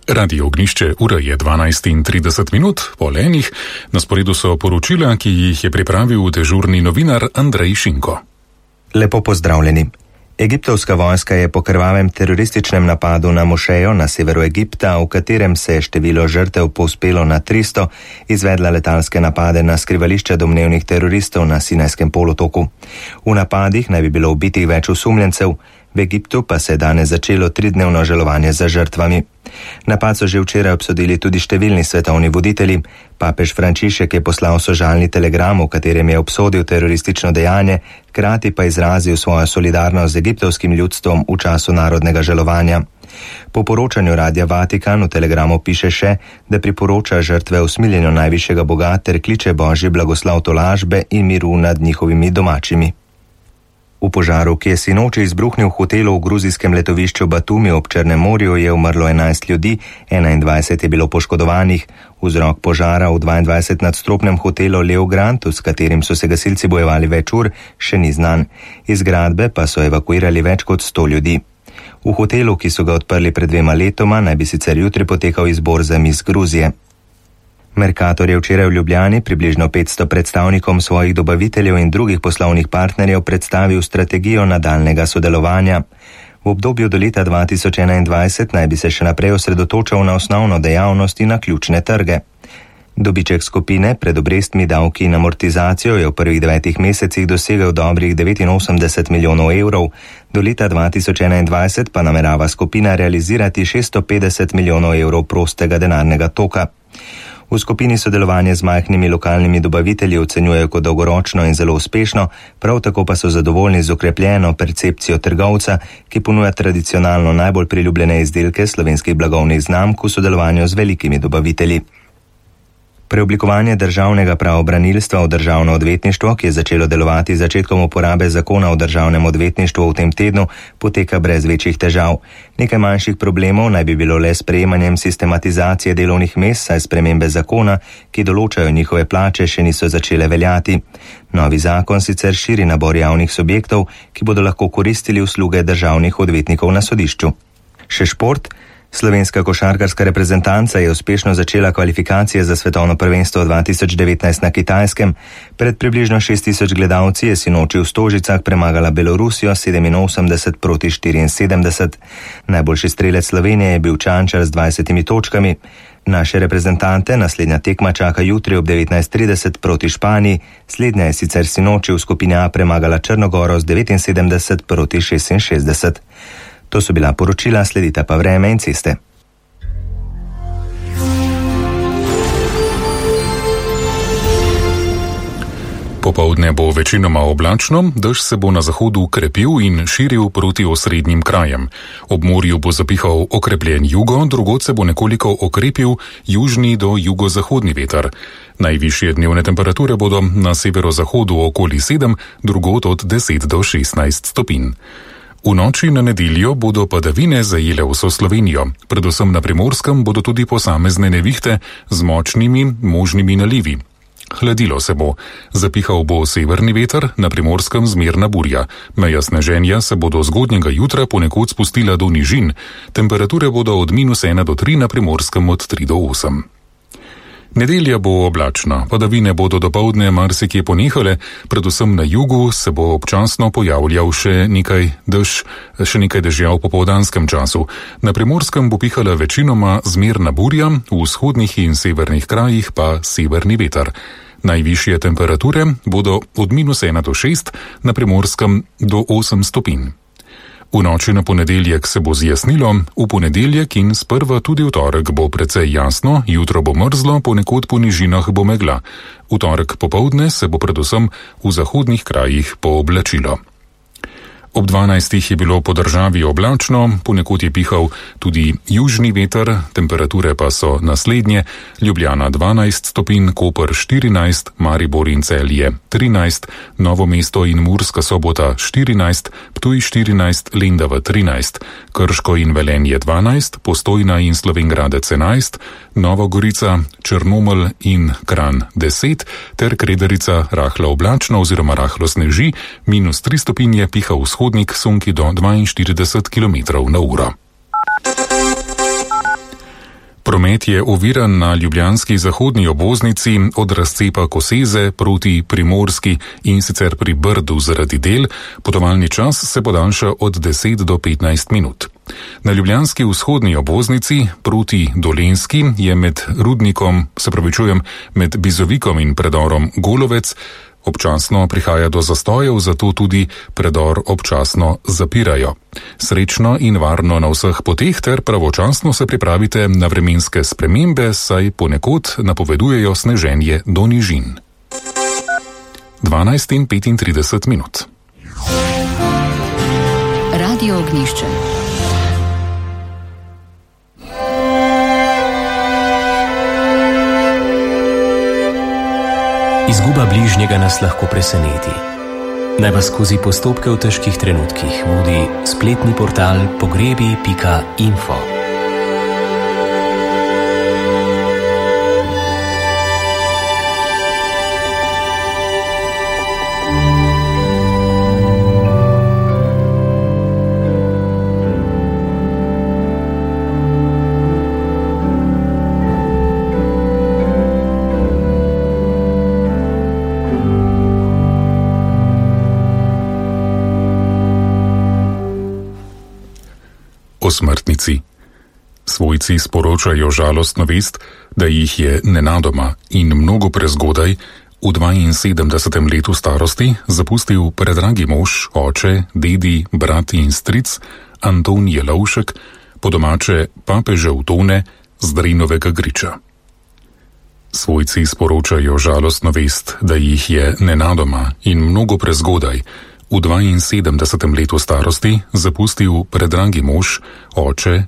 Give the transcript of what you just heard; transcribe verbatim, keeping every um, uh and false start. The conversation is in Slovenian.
Radio Ognišče, ura je dvanajst in trideset minut, pol enih. Na sporedu so poročila, ki jih je pripravil dežurni novinar Andrej Šinko. Lepo pozdravljeni. Egiptovska vojska je po krvavem terorističnem napadu na mošejo na severu Egipta, v katerem se je število žrtev povzpelo na tristo, izvedla letalske napade na skrivališče domnevnih teroristov na Sinajskem polotoku. V napadih naj bi bilo ubitih več osumljencev, v Egiptu pa se je danes začelo tridnevno žalovanje za žrtvami. Napad so že včeraj obsodili tudi številni svetovni voditelji. Papež Frančišek je poslal sožalni telegram, v katerem je obsodil teroristično dejanje, hkrati pa izrazil svojo solidarnost z egiptovskim ljudstvom v času narodnega žalovanja. Po poročanju Radia Vatikan v telegramu piše še, da priporoča žrtve usmiljenju najvišjega Boga ter kliče Božji blagoslov tolažbe in miru nad njihovimi domačimi. V požaru, ki je sinoči izbruhnil v hotelu v gruzijskem letovišču Batumi ob Črnem morju, je umrlo enajst ljudi, enaindvajset je bilo poškodovanih. Vzrok požara v dvaindvajsetnadstropnem hotelu Leo Grand, s katerim so se gasilci bojevali več ur, še ni znan. Iz zgradbe pa so evakuirali več kot sto ljudi. V hotelu, ki so ga odprli pred dvema letoma, naj bi sicer jutri potekal izbor za mis Gruzije. Mercator je včeraj v Ljubljani približno petsto predstavnikom svojih dobaviteljev in drugih poslovnih partnerjev predstavil strategijo nadaljnega sodelovanja. V obdobju do leta dva tisoč enaindvajset naj bi se še naprej osredotočal na osnovno dejavnost in na ključne trge. Dobiček skupine pred obrestmi, davki in amortizacijo je v prvih devetih mesecih dosegel dobrih devetinosemdeset milijonov evrov, do leta dva tisoč enaindvajset pa namerava skupina realizirati šeststo petdeset milijonov evrov prostega denarnega toka. V skupini sodelovanje z majhnimi lokalnimi dobavitelji ocenjujejo kot dolgoročno in zelo uspešno, prav tako pa so zadovoljni z okrepljeno percepcijo trgovca, ki ponuja tradicionalno najbolj priljubljene izdelke slovenskih blagovnih znamk v sodelovanju z velikimi dobavitelji. Preoblikovanje državnega pravobranilstva v državno odvetništvo, ki je začelo delovati z začetkom uporabe zakona o državnem odvetništvu v tem tednu, poteka brez večjih težav. Nekaj manjših problemov naj bi bilo le s sprejemanjem sistematizacije delovnih mest, saj spremembe zakona, ki določajo njihove plače, še niso začele veljati. Novi zakon sicer širi nabor javnih subjektov, ki bodo lahko koristili usluge državnih odvetnikov na sodišču. Še šport. Slovenska košarkarska reprezentanca je uspešno začela kvalifikacije za svetovno prvenstvo dva tisoč devetnajst na Kitajskem. Pred približno šest tisoč gledalci je sinoči v Stožicah premagala Belorusijo sedeminosemdeset proti štiriinsedemdeset. Najboljši strelec Slovenije je bil Čančar z dvajsetimi točkami. Naše reprezentante naslednja tekma čaka jutri ob devetnajst trideset proti Španiji. Slednja je sicer sinoči v skupini A premagala Črnogoro z devetinsedemdeset proti šestinšestdeset. To so bila poročila, sledite pa vreme in ceste. Popoldne bo večinoma oblačno, dež se bo na zahodu krepil in širil proti osrednjim krajem. Ob morju bo zapihal okrepljen jugo, drugod se bo nekoliko okrepil južni do jugozahodni veter. Najvišje dnevne temperature bodo na severozahodu okoli sedem, drugod od deset do šestnajst stopinj. V noči na nedeljo bodo padavine zajele vso Slovenijo. Predvsem na Primorskem bodo tudi posamezne nevihte z močnimi možnimi nalivi. Hladilo se bo. Zapihal bo severni veter, na Primorskem zmerna burja. Meja sneženja se bodo zgodnjega jutra ponekod spustila do nižin. Temperature bodo od minus ena do tri, na Primorskem od tri do osem. Nedelja bo oblačna, padavine bodo dopoldne marsikje ponehale, predvsem na jugu se bo občasno pojavljal še nekaj dež, še nekaj dežja v popoldanskem času. Na Primorskem bo pihala večinoma zmerna burja, v vzhodnih in severnih krajih pa severni veter. Najvišje temperature bodo od minus ena do šest, na Primorskem do osem stopinj. V noči na ponedeljek se bo zjasnilo, v ponedeljek in sprva tudi v torek bo precej jasno, jutro bo mrzlo, ponekod po nižinah bo megla. V torek popoldne se bo predvsem v zahodnih krajih pooblačilo. Ob dvanajstih je bilo po državi oblačno, ponekod je pihal tudi južni veter, temperature pa so naslednje: Ljubljana dvanajst stopinj, Koper štirinajst, Maribor in Celje trinajst, Novo mesto in Murska Sobota štirinajst, Ptuj štirinajst, Lendava trinajst, Krško in Velenje dvanajst, Postojna in Slovenj Gradec enajst, Nova Gorica, Črnomelj in Kranj deset ter Kredarica rahlo oblačno oziroma rahlo sneži, minus tri stopinje, piha vzhodnik sunki do dvainštirideset kilometrov na uro. Promet je oviran na ljubljanski zahodni obvoznici od razcepa Koseze proti Primorski in sicer pri Brdu zaradi del. Potovalni čas se podaljša od deset do petnajst minut. Na ljubljanski vzhodni obvoznici proti Dolenjski je med Rudnikom, se pravičujem, med Bizovikom in predorom Golovec občasno prihaja do zastojev, zato tudi predor občasno zapirajo. Srečno in varno na vseh poteh ter pravočasno se pripravite na vremenske spremembe, saj ponekod napovedujejo sneženje do nižin. dvanajst in petintrideset minut. Radio Ognjišče. Izguba bližnjega nas lahko preseneti. Naj vas skozi postopke v težkih trenutkih vodi spletni portal pogrebi pika info. O smrtnici. Svojci sporočajo žalostno vest, da jih je nenadoma in mnogo prezgodaj v dvainsedemdesetem letu starosti zapustil predragi mož, oče, dedi, brat in stric Anton Jelovšek, po domače papežev Tone z Drinovega Griča. Svojci sporočajo žalostno vest, da jih je nenadoma in mnogo prezgodaj v dvainsedemdesetem letu starosti zapustil predragi mož, oče,